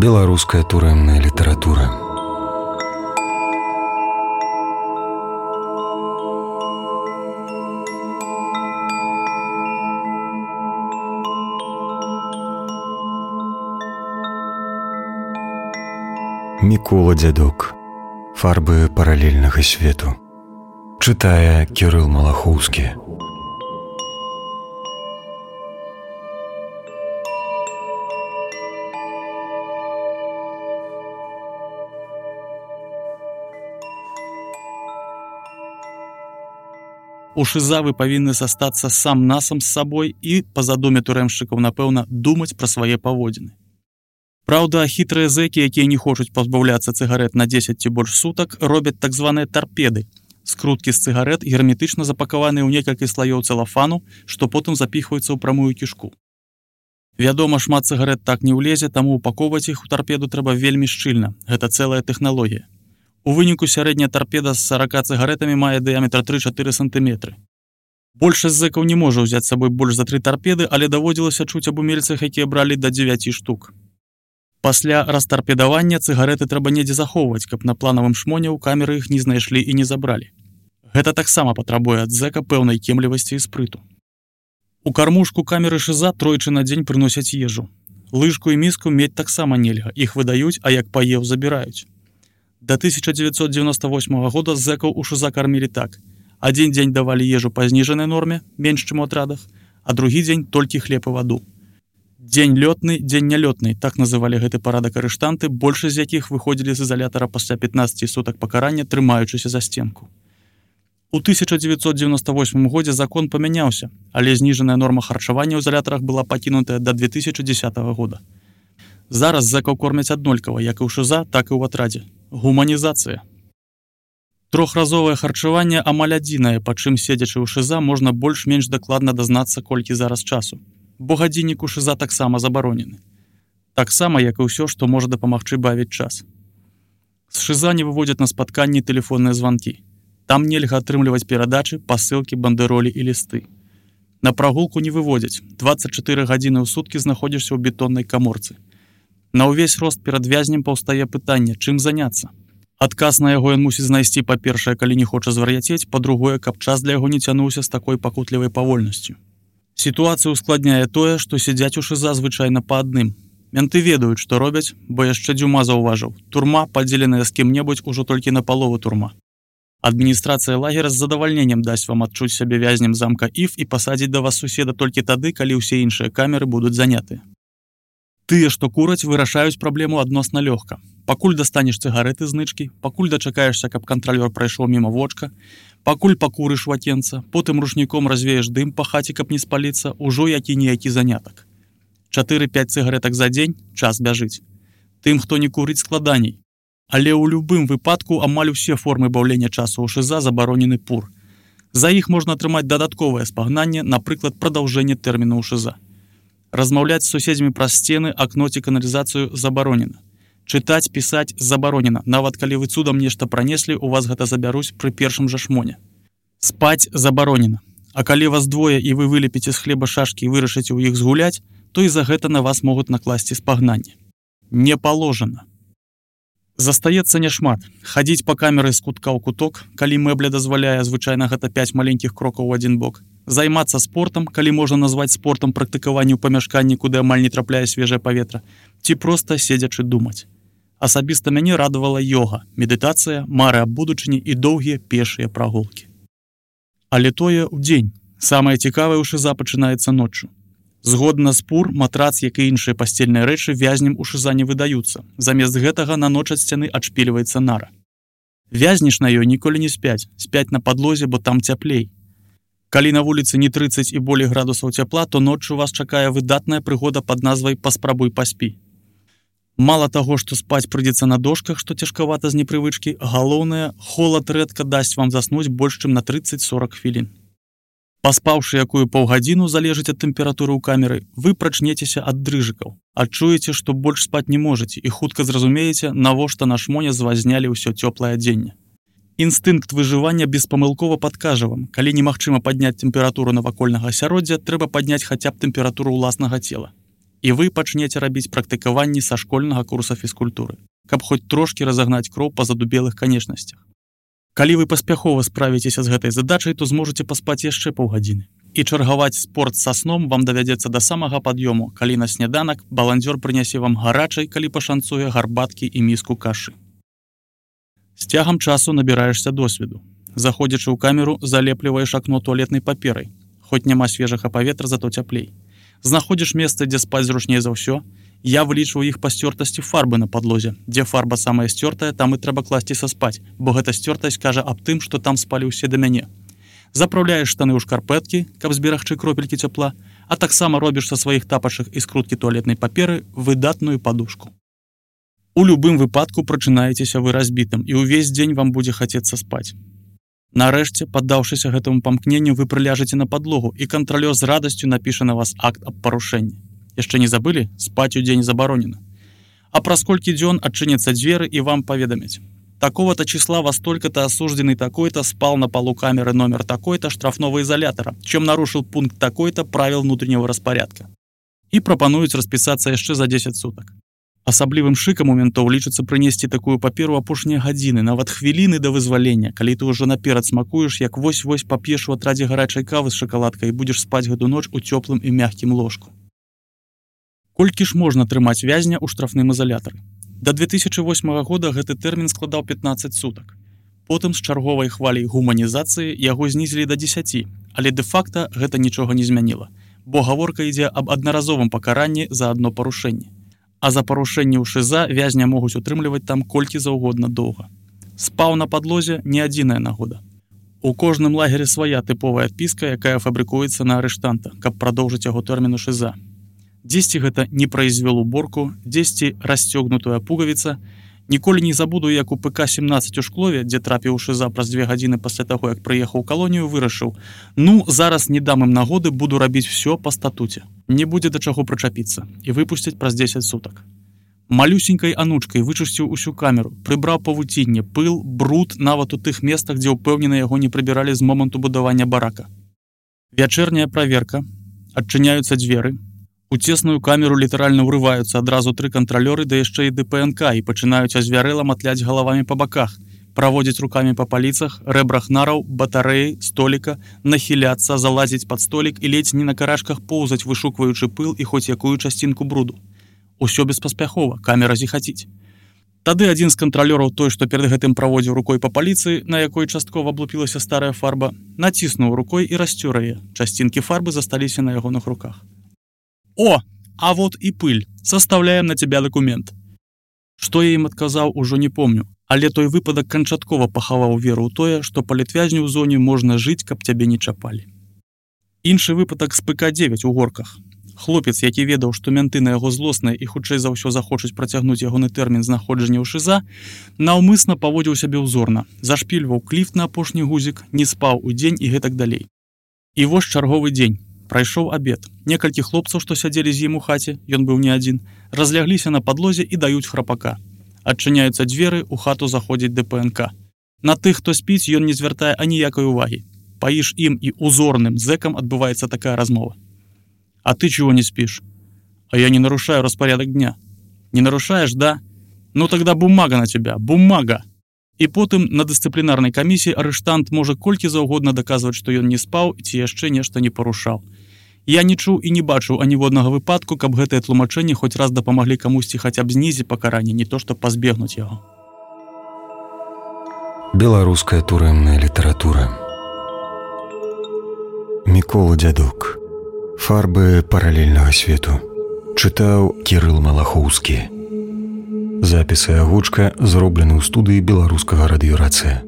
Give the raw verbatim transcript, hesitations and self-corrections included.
Беларуская турэмная літаратура. Мікола Дзядок. Фарбы паралельнага свету. Чытае Кірыл Малахоўскі. У шыза вы павінны застацца сам-насам з сабой і, па задуме турэмшчыкаў, напэўна, думаць пра свае паводзіны. Праўда, хітрыя зэкі, якія не хочуць пазбаўляцца цыгарэт на дзесяць ці больш сутак, робяць так званыя тарпеды. Скруткі з цыгарэт герметычна запакаваныя ў некалькі слаёў цэлафану, што потым запіхваюцца ў прамую кішку. Вядома, шмат цыгарэт так не ўлезе, таму упаковаць іх у тарпеду трэба вельмі шчыльна. Гэта цэлая тэхналогія. У выніку сярэдняя тарпеда з сарака цыгарэтамі мае дыяметр тры-чатыры сантыметры. Большасць зэкаў не можа ўзяць з сабой больш за тры тарпеды, але даводзілася чуць аб умельцах, якія бралі да дзевяці штук. Пасля растарпедавання цыгарэты трэба недзе захоўваць, каб на планавым шмоне ў камеры іх не знайшлі і не забралі. Гэта таксама патрабуе ад зэка пэўнай кемлівасці і спрыту. У кармушку камеры шыза тройчы на дзень прыносяць ежу. Лыжку і міску мець таксама нельга, іх выдаюць, а як паеў, забіраюць. Да тысяча дзевяцьсот дзевяноста восьмага года зэкаў у шыза кармілі так. Адзін дзень давалі ежу па зніжанай норме, менш чым у атрадах, а другі дзень толькі хлеб і ваду. Дзень лётны, дзень нялётны, так называлі гэты парадак арыштанты, большасць з якіх выходзілі з ізалятара пасля пятнаццаці сутак пакарання, трымаючыся за сценку. У тысяча дзевяцьсот дзевяноста восьмым годзе закон памяняўся, але зніжаная норма харчавання ў ізалятарах была пакінутая да две тысячы дзесятага года. Зараз зэкаў кормяць аднолькава, як і ў шыза, так і ў атрадзе. Гуманізацыя. Трохразовае харчаванне амаль адзінае, па чым седзячы ў шыза можна больш-менш дакладна дазнацца, колькі зараз часу. Бо гадзіннік у шыза таксама забаронены. Таксама, як і ўсё, што можа дапамагчы бавіць час. З шыза не выводзяць на спатканні тэлефонныя званкі. Там нельга атрымліваць перадачы, пасылкі, бандэролі і лісты. На прагулку не выводзяць. дваццаць чатыры гадзіны ў суткі знаходзішся ў бетоннай каморцы. На ўвесь рост перад вязнем паўстае пытанне, чым заняцца. Адказ на яго ён мусіць знайсці, па-першае, калі не хоча звар'яцець, па-другое, каб час для яго не цянуўся з такой пакутлівай павольнасцю. Сітуацыю ускладняе тое, што сядзяць у шыза звычайна па адным. Менты ведаюць, што робяць, бо яшчэ Дзюма заўважыў. Турма, падзеленая з кім-небудзь, ужо толькі на палову турма. Адміністрацыя лагера з задавальненнем дасць вам адчуць сябе вязнем замка Іф і пасадзіць да вас суседа толькі тады, калі ўсе іншыя камеры будуць занятыя. Тыя, што кураць, вырашаюць праблему адносна лёгка. Пакуль дастанеш цыгарэты знычкі, пакуль дачакаешся, каб кантралёр прайшоў міма вочка, пакуль пакурыш вакенца, потым рушніком развееш дым па хаце, каб не спаліцца, ужо які-ніякі занятак. чатыры-пяць цыгарэтак за дзень, час бяжыць. Тым, хто не курыць, складаней. Але ў любым выпадку амаль усе формы баўлення часу ў шыза забаронены пур. За іх можна атрымаць дадатковае спагнанне, напрыклад, прадаўжэнне тэрміну ў шыза. Размаўляць з суседзямі праз сцены, акно ці каналізацыю забаронена. Чытаць, пісаць забаронена. Нават калі вы цудам нешта пранеслі, у вас гэта забяруць пры першым жа шмоне. Спаць забаронена. А калі вас двое і вы вылепіце з хлеба шашкі і вырашыце ў іх згуляць, то і за гэта на вас могуць накласці спагнанне. Не паложана. Застаецца няшмат. Хадзіць па камеры з кутка ў куток, калі мэбля дазваляе, звычайна гэта пяць маленькіх крокаў у адзін бок. Займацца спортам, калі можна назваць спортам практыкаванне ў памяшканні, куды амаль не трапляе свежае паветра, ці проста седзячы думаць. Асабіста мяне радавала йога, медытацыя, мары аб будучыні і доўгія пешыя прагулкі. Але тое ў дзень. Самае цікавае ў шыза пачынаецца ноччу. Згодна з пур, матрац, як і іншыя пасцельныя рэчы вязням у шыза не выдаюцца. Замест гэтага на ноч ад сцяны адшпільваецца нара. Вязніш на ёй ніколі не спяць, спяць на падлозе, бо там цяплей. Калі на вуліцы не трыццаць і болей градусаў цяпла, то ноччу вас чакае выдатная прыгода пад назвай «Паспрабуй паспі». Мала таго, што спаць прыйдзецца на дошках, што цяжкавата з непрывычкі, галоўнае, холад рэдка дасць вам заснуць больш чым на трыццаць-сорак хвілін. Паспаўшы якую паўгадзіну, залежыць ад тэмпературы ў камеры, вы прачнецеся ад дрыжыкаў. Адчуеце, што больш спаць не можаце і хутка зразумееце, навошта на шмоне звазнялі ўсё цёплае адзенне. Інстынкт выжывання беспамылкова падкажа вам, калі немагчыма падняць тэмпературу навакольнага асяроддзя, трэба падняць хаця б тэмпературу ўласнага цела. і вы пачнеце рабіць практыкаванні са школьнага курса фізкультуры, каб хоць трошкі разагнаць кроў па задубелых канечнасцях. Калі вы паспяхова справіцеся з гэтай задачай, то зможаце паспаць яшчэ паўгадзіны. І чаргаваць спорт са сном вам давядзецца да самага пад'ёму, калі на сняданак баландзёр прынясе вам гарачай, калі пашанцуе, гарбаткі і міску кашы. З цягам часу набіраешся досведу. Заходзячы ў камеру, залепліваеш акно туалетнай паперай. Хоць няма свежага паветра, зато цяплей. Знаходзіш месца, дзе спаць зручней за ўсё. Я вылічваю іх па сцёртасці фарбы на падлозе. Дзе фарба самая сцёртая, там і трэба класціся спаць, бо гэта сцёртасць кажа аб тым, што там спалі ўсе да мяне. Запраўляеш штаны ў шкарпэткі, каб зберагчы кропелькі цяпла, а таксама робіш са сваіх тапачак і скруткі туалетнай паперы выдатную падушку. У любым выпадку прачынаецеся вы разбітым, і ўвесь дзень вам будзе хацецца спаць. Нарэшце, паддаўшыся гэтаму памкненню, вы прыляжаце на падлогу, і кантралёр з радасцю напіша на вас акт аб парушэнні. Яшчэ не забылі? Спаць у дзень забаронена. А праз колькі дзён адчыняцца дзверы і вам паведамяць. Такого-то числа вас только-то осужденный такой-то спал на полу камеры номер такой-то штрафного изолятора, чем нарушил пункт такой-то правил внутреннего распорядка. И прапануюць распісацца яшчэ за дзесяць сутак. Асаблівым шыкам у ментоў лічыцца прынесці такую паперу апошнія гадзіны, нават хвіліны да вызвалення, калі ты ўжо наперад смакуеш, як вось-вось пап'еш у атрадзе гарачай кавы з шакаладкай і будзеш спаць гэту ноч у цёплым і мяккім ложку. Колькі ж можна трымаць вязня ў штрафным изолятары? Да две тысячи восьмага года гэты тэрмін складаў пятнаццаць сутак. Потым з чарговай хваляй гуманізацыі яго знізілі да дзесяці, але дэ-факта гэта нічога не змяніла, бо гаворка ідзе аб аднаразовым пакаранні за адно парушэнне. А за парушэнне ў ШИЗА вязня могуць утрымліваць там колькі заўгодна доўга. Спаў на падлозе не адзіная нагода. У кожным лагеры свая тыповая адпіска, якая фабрыкуецца на арыштанта, каб прадоўжыць яго тэрмін у ШИЗА. Дзесьці гэта не прайзвёл уборку, дзесьці расцёгнутая пугавіца. Ніколі не забуду, як у ПК семнаццаць у Шклове, дзе трапіў у ШИЗА праз две гадзіны пасля таго, як прыехаў у калонію, вырашыў: ну, зараз не дам ім нагоды, буду рабіць всё па статуце. Не будзе да чаго прычапіцца, і выпусцяць праз дзесяць сутак. Малюсенькай анучкай вычысціў усю камеру, прыбраў павуцінне, пыл, бруд нават у тых местах, дзе ўпэўнена яго не прыбіралі з моманту будавання барака. Вячэрняя праверка, адчыняюцца дзверы. У цесную камеру літаральна ўрываюцца адразу тры кантралёры, да яшчэ і ДПНК, і пачынаюць азвярэла матляць галавамі па баках, праводзіць рукамі па паліцах, рэбрах нараў, батарэі, століка, нахіляцца, залазіць пад столік і ледзь не на карашках поўзаць, вышукваючы пыл і хоць якую часцінку бруду. Усё беспаспяхова, камера зіхаціць. Тады адзін з кантралёраў, той, што перад гэтым праводзіў рукой па паліцыі, на якой часткова аблупілася старая фарба, націснуў рукой і расцёр яе. Часцінкі фарбы засталіся на ягоных руках. «О, а вот и пыль. Составляем на тебя документ». Што я ім адказаў, ужо не помню, але той выпадак канчаткова пахаваў веру ў тое, што палітвязню ў зоне можна жыць, каб цябе не чапалі. Іншы выпадак з ПК дзевяць у Горках. Хлопец, які ведаў, што менты на яго злосныя і хутчэй за ўсё захочуць працягнуць ягоны тэрмін знаходжання ў ШИЗА, наўмысна паводзіў сябе ўзорна, зашпільваў кліфт на апошні гузік, не спаў у дзень і гэтак далей. І вось чарговы дзень. Прайшоў абед. Некалькі хлопцаў, што сядзелі з ім у хаце, ён быў не адзін, разлягліся на падлозе і даюць храпака. Адчыняюцца дзверы, у хату заходзіць ДПНК. На тых, хто спіць, ён не звяртае аніякай увагі. Паіш ім і узорным зэкам адбываецца такая размова. «А ты чего не спишь?» «А я не нарушаю распорядок дня». «Не нарушаешь, да? Ну тогда бумага на тебя, бумага!» І потым на дысцыплінарнай камісіі арыштант можа колькі заўгодна даказваць, што ён не спаў ці яшчэ нешта не парушаў. Я не чуў і не бачыў аніводнага выпадку, каб гэтае тлумачэнне хоць раз дапамаглі камусьці хаця б знізіць пакаранне, не то што пазбегнуць яго. Беларуская турэмная літаратура. Мікола Дзядок. Фарбы паралельнага свету. Чытаў Кірыл Малахоўскі. Запісы агучка зроблены ў студыі беларускага радыёрацыя.